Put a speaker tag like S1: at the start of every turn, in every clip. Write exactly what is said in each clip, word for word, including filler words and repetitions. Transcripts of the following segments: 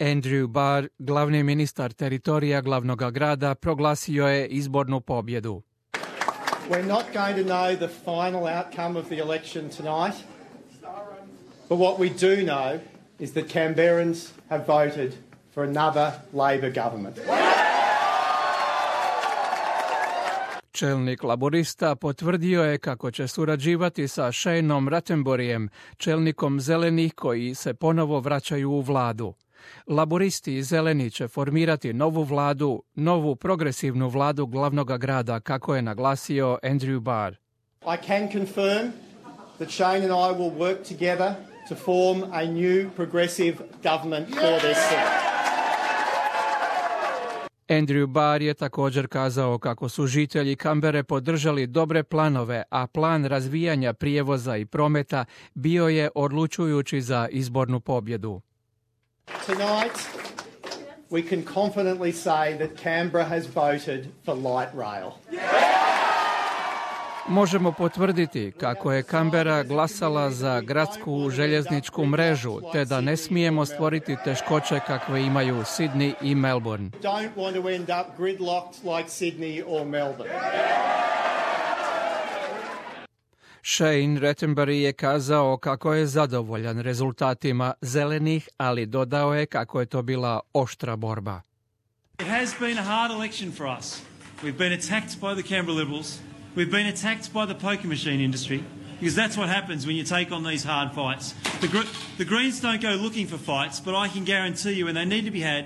S1: Andrew Barr, glavni ministar teritorija glavnog grada, proglasio je izbornu pobjedu.
S2: We're not going to know the final outcome of the election tonight, but what we do know is that Canberrans have voted for another Labor government.
S1: Čelnik laborista potvrdio je kako će surađivati sa Shaneom Rattenburyjem, čelnikom zelenih koji se ponovo vraćaju u vladu. Laboristi i zeleni će formirati novu vladu, novu progresivnu vladu glavnog grada, kako je naglasio Andrew Barr.
S2: I can confirm that Shane and I will work together to form a new progressive government for this city.
S1: Andrew Barr je također kazao kako su žitelji Kambere podržali dobre planove, a plan razvijanja prijevoza i prometa bio je odlučujući za izbornu pobjedu.
S2: Tonight, we can confidently say that Canberra has voted for light rail.
S1: Možemo potvrditi kako je Kambera glasala za gradsku željezničku mrežu, te da ne smijemo stvoriti teškoće kakve imaju Sydney i Melbourne.
S2: Don't want to end up gridlocked like Sydney or Melbourne.
S1: Shane Rattenbury je kazao kako je zadovoljan rezultatima zelenih, ali dodao je kako je to bila oštra borba.
S3: It has been a hard election for us. We've been attacked by the Canberra Liberals. We've been attacked by the poker machine industry, because that's what happens when you take on these hard fights. The, gr- the Greens don't go looking for fights, but I can guarantee you when they need to be had,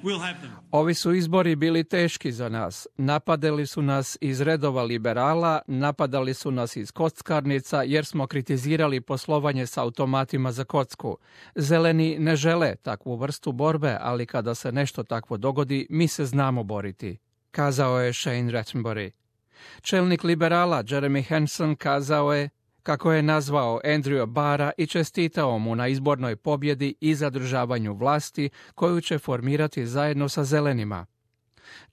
S3: we'll have them.
S1: Ovi su izbori bili teški za nas. Napadali su nas iz redova liberala, napadali su nas iz kockarnica jer smo kritizirali poslovanje s automatima za kocku. Zeleni ne žele takvu vrstu borbe, ali kada se nešto takvo dogodi, mi se znamo boriti, kazao je Shane Rattenbury. Čelnik liberala Jeremy Hanson kazao je kako je nazvao Andrewa Barra i čestitao mu na izbornoj pobjedi i zadržavanju vlasti koju će formirati zajedno sa zelenima.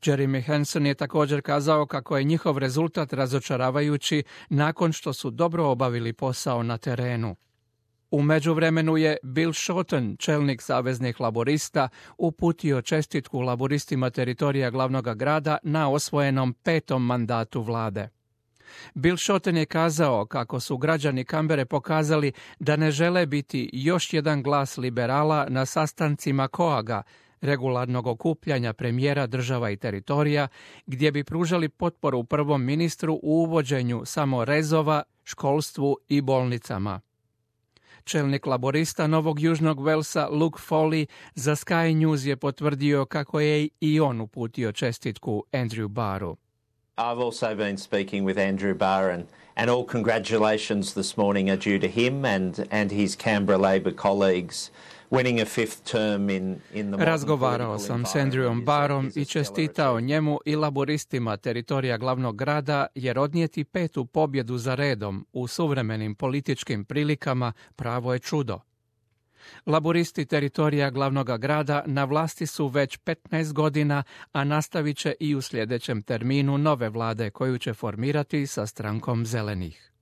S1: Jeremy Hanson je također kazao kako je njihov rezultat razočaravajući nakon što su dobro obavili posao na terenu. U međuvremenu je Bill Shorten, čelnik saveznih laborista, uputio čestitku laboristima teritorija glavnog grada na osvojenom petom mandatu vlade. Bill Shorten je kazao kako su građani Kambere pokazali da ne žele biti još jedan glas liberala na sastancima koaga, regularnog okupljanja premijera država i teritorija, gdje bi pružali potporu prvom ministru u uvođenju samo rezova, školstvu i bolnicama. Čelnik laborista Novog Južnog Velsa Luke Foley za Sky News je potvrdio kako je i on uputio čestitku Andrew Barru.
S4: I've also been speaking with Andrew Barr, and, and all congratulations this morning are due to him and, and his Canberra Labor colleagues winning a fifth term in, in the
S1: Razgovarao sam s Andrewom Barrom i čestitao njemu i laboristima teritorija glavnog grada jer odnijeti petu pobjedu za redom u suvremenim političkim prilikama pravo je čudo. Laboristi teritorija glavnog grada na vlasti su već petnaest godina, a nastavit će i u sljedećem terminu nove vlade koju će formirati sa strankom zelenih.